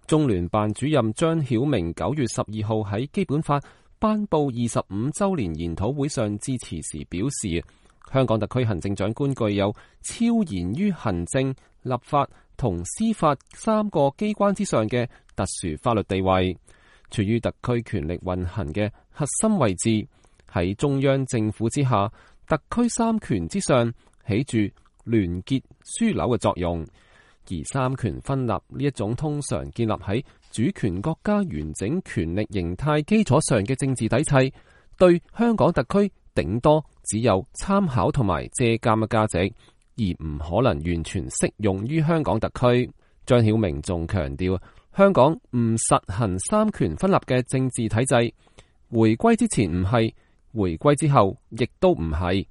中聯辦主任張曉明9月12號喺基本法頒布25週年研討會上致辭時表示，香港特區行政長官具有超然於行政、立法同司法3個機關之上嘅特殊法律地位，處於特區權力運行嘅核心位置，喺中央政府之下，特區三權之上起住聯結樞紐嘅作用。而三權分立呢一種通常建立喺主權國家完整權力形態基礎上嘅政治體制，對香港特區頂多只有參考同埋借鑒嘅價值，而唔可能完全適用於香港特區。張曉明仲強調，香港唔實行三權分立嘅政治體制，回歸之前唔係，回歸之後亦都唔係。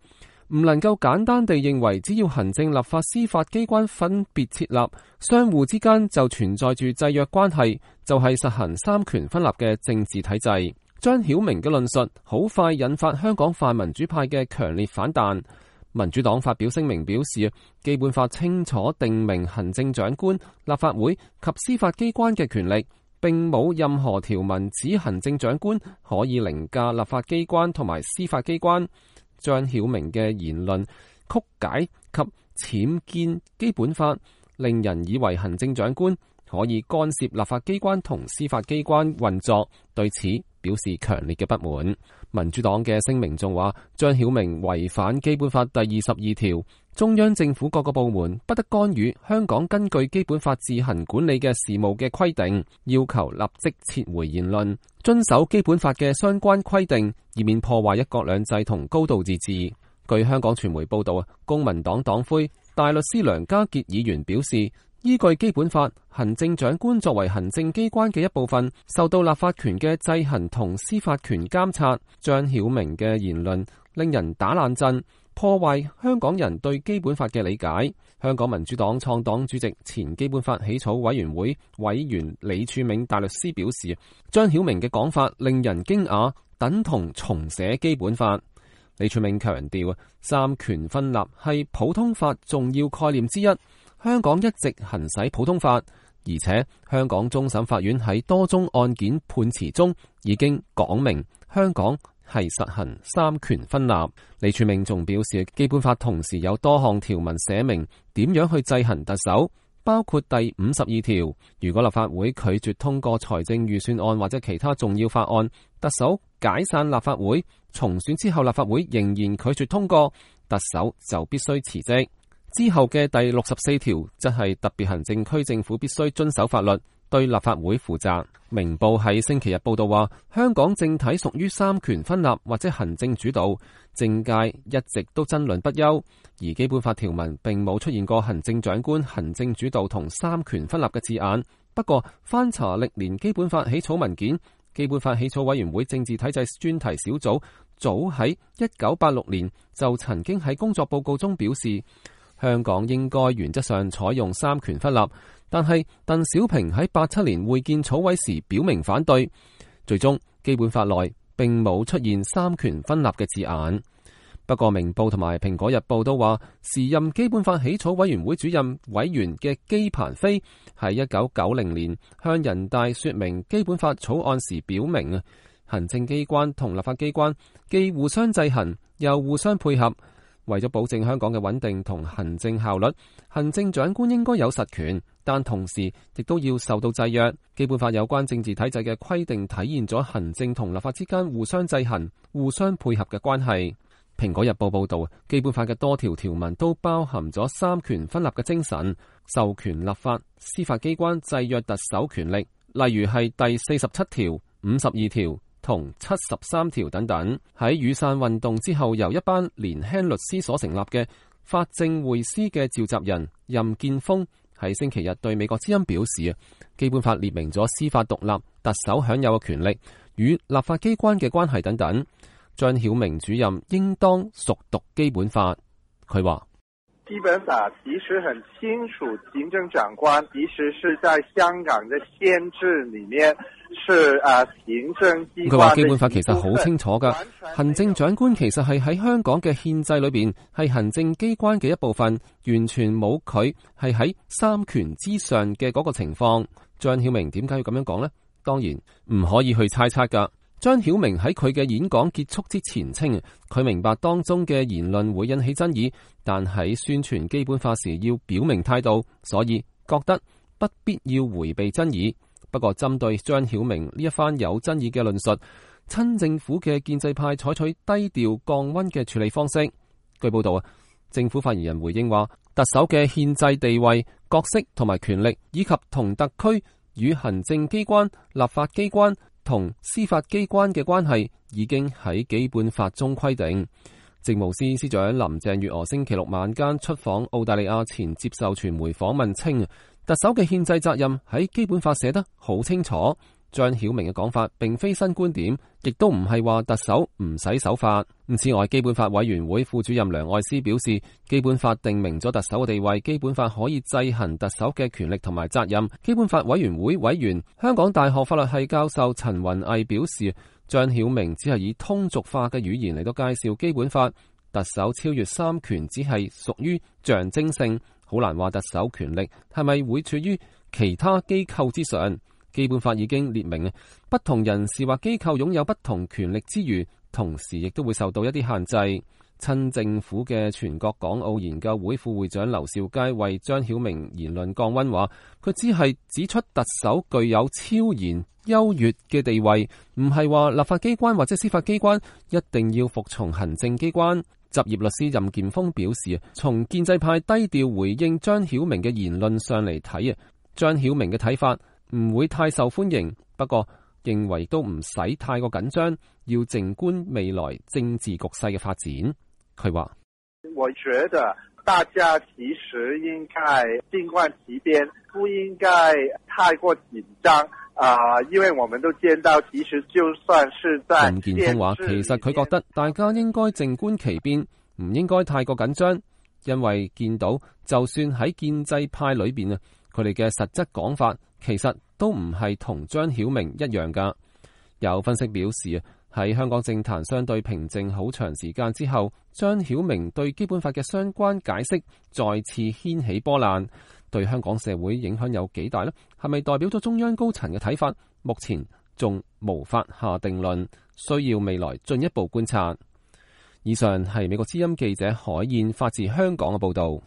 唔能夠簡單地認為只要行政、立法、司法機關分別設立，相互之間就存在住制約關係，就係實行三權分立嘅政治體制。張曉明嘅論述好快引發香港泛民主派嘅強烈反彈。民主黨發表聲明表示，基本法清楚訂明行政長官、立法會及司法機關嘅權力，並冇任何條文指行政長官可以凌駕立法機關同埋司法機關。張曉明嘅言論曲解及僭建基本法，令人以為行政長官可以干涉立法機關同司法機關運作，對此表示強烈嘅不滿。民主黨嘅聲明仲話，張曉明違反基本法第22條，中央政府各個部門不得干預香港根據基本法自行管理嘅事務嘅規定，要求立即撤回言論，遵守基本法嘅相關規定，以免破壞一國兩制同高度自治。據香港傳媒報道，公民黨黨魁大律師梁家傑議員表示，依據基本法，行政長官作為行政機關嘅一部分，受到立法權嘅制衡同司法權監察。張曉明嘅言論令人打冷震，破壞香港人對基本法嘅理解。香港民主黨創黨主席、前基本法起草委員會委員李柱銘大律師表示，張曉明嘅講法令人驚訝，等同重寫基本法。李柱銘強調，三權分立係普通法重要概念之一。香港一直行使普通法，而且香港終審法院喺多宗案件判詞中已經講明香港係實行三權分立。李柱銘仲表示，基本法同時有多項條文寫明點樣去制衡特首，包括第52條，如果立法會拒絕通過財政預算案或者其他重要法案，特首解散立法會，重選之後立法會仍然拒絕通過，特首就必須辭職。之後嘅第64條則係特別行政區政府必須遵守法律，對立法會負責。明報喺星期日報道話，香港政體屬於三權分立或者行政主導，政界一直都爭論不休，而基本法條文並冇出現過行政長官、行政主導同三權分立嘅字眼。不過翻查歷年基本法起草文件，基本法起草委員會政治體制專題小組早喺1986年就曾經喺工作報告中表示，香港應該原則上採用三權分立，但係鄧小平喺87年會見草委時表明反對，最終基本法內並冇出現三權分立嘅字眼。不過明報同埋蘋果日報都話，時任基本法起草委員會主任委員嘅姬鵬飛喺1990年向人大說明基本法草案時表明，行政機關同立法機關既互相制衡又互相配合，為咗保證香港嘅穩定同行政效率，行政長官應該有實權，但同時亦都要受到制約。基本法有關政治體制嘅規定體現咗行政同立法之間互相制衡、互相配合嘅關係。蘋果日報報道，基本法嘅多條條文都包含咗三權分立嘅精神，授權立法、司法機關制約特首權力，例如係第47條、52條同73條等等。喺雨傘運動之後，由一班年輕律師所成立嘅法政匯思嘅召集人任建峰喺星期日對美國之音表示，基本法列明咗司法獨立、特首享有嘅權力與立法機關嘅關係等等。張曉明主任應當熟讀基本法。佢話，基本法其實很清楚，行政長官其實是在香港嘅憲制裏面是行政機關。佢話基本法其實好清楚噶，行政長官其實係喺香港嘅憲制裏邊係行政機關嘅一部分，完全冇佢係喺三權之上嘅嗰個情況。張曉明點解要咁樣講呢？當然唔可以去猜測㗎。張曉明喺佢嘅演講結束之前稱，佢明白當中嘅言論會引起爭議，但喺宣傳基本法時要表明態度，所以覺得不必要回避爭議。不過針對張曉明呢一番有爭議嘅論述，親政府嘅建制派採取低調降溫嘅處理方式。據報道政府發言人回應話，特首嘅憲制地位、角色同埋權力，以及同特區與行政機關、立法機關同司法機關嘅關係，已經喺基本法中規定。政務司司長林鄭月娥星期六晚間出訪澳大利亞前接受傳媒訪問稱，特首嘅憲制責任喺基本法寫得好清楚。張曉明嘅講法並非新觀點，亦都唔係話特首唔使守法。此外，基本法委員會副主任梁愛詩表示，基本法定明咗特首嘅地位，基本法可以制衡特首嘅權力同埋責任。基本法委員會委員、香港大學法律系教授陳雲毅表示，張曉明只係以通俗化嘅語言嚟到介紹基本法，特首超越三權只係屬於象徵性，好難話特首權力係咪會處於其他機構之上。基本法已經列明，不同人士或機構擁有不同權力之餘，同時亦都會受到一啲限制。親政府嘅全國港澳研究會副會長劉兆佳為張曉明言論降溫話，佢只係指出特首具有超然優越嘅地位，唔係話立法機關或者司法機關一定要服從行政機關。執業律師任劍鋒表示，從建制派低調回應張曉明嘅言論上嚟睇，張曉明嘅睇法唔會太受歡迎，不過認為都唔使太過緊張，要靜觀未來政治局勢嘅發展。佢話：我覺得大家其實應該靜觀其變，不應該太過緊張。因為我們都見到，其實就算是在任劍鋒話，其實佢覺得大家應該靜觀其變，唔應該太過緊張，因為見到就算喺建制派裏邊啊，佢哋嘅實質講法其實都唔係同張曉明一樣噶。有分析表示，喺香港政壇相對平靜好長時間之後，張曉明對基本法嘅相關解釋再次掀起波瀾，對香港社會影響有幾大呢？係咪代表咗中央高層嘅睇法？目前仲無法下定論，需要未來進一步觀察。以上係美國之音記者海燕發自香港嘅報道。